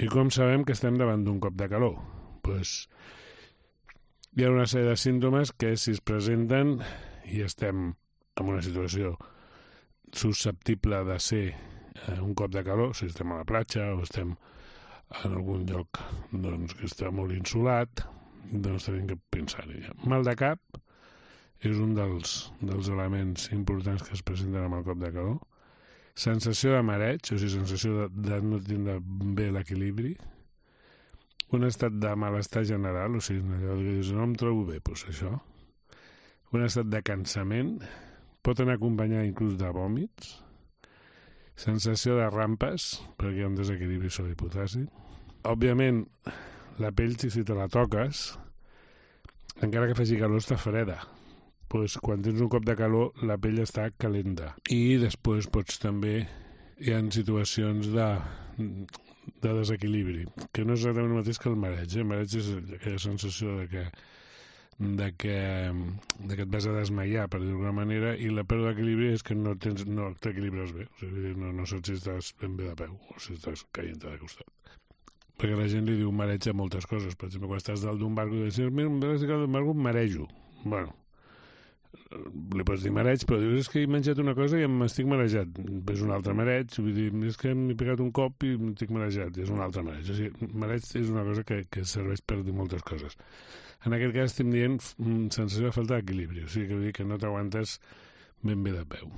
I com sabem que estem davant d'un cop de calor? Doncs hi ha una sèrie de símptomes que si es presenten i estem en una situació susceptible de ser un cop de calor, si estem a la platja o estem en algun lloc doncs, que està molt insolat, doncs tenim que pensar-hi. Mal de cap és un dels elements importants que es presenten amb el cop de calor. Sensació de mareig, o sigui, sensació de no tindre bé l'equilibri. Un estat de malestar general, o sigui, allò que dius, no em trobo bé, doncs això. Un estat de cansament, pot anar acompanyat inclús de vòmits. Sensació de rampes, perquè hi ha un desequilibri sòdic potàssic. Òbviament, la pell, si te la toques, encara que faci calor, està freda. Pues, quan tens un cop de calor, la pell està calenta. I després també hi ha situacions de desequilibri, que no és exactament el mateix que el mareig. El mareig és aquella sensació de que et vas a desmaiar, per dir-ho d'alguna manera, i la pèrdua d'equilibri és que no t'equilibres bé. O sigui, no saps si estàs ben bé de peu o si estàs caient de costat. Perquè la gent li diu mareig a moltes coses. Per exemple, quan estàs dalt d'un barco i dius, mira, em marejo. Bueno, li pots dir mareig, però dius, és que he menjat una cosa i m'estic marejat. És un altre mareig, vull dir, és que m'he pegat un cop i m'estic marejat, és un altre mareig. O sigui, mareig és una cosa que serveix per dir moltes coses. En aquest cas estem dient sensació de falta d'equilibri, o sigui, que vull dir que no t'aguantes ben bé de peu.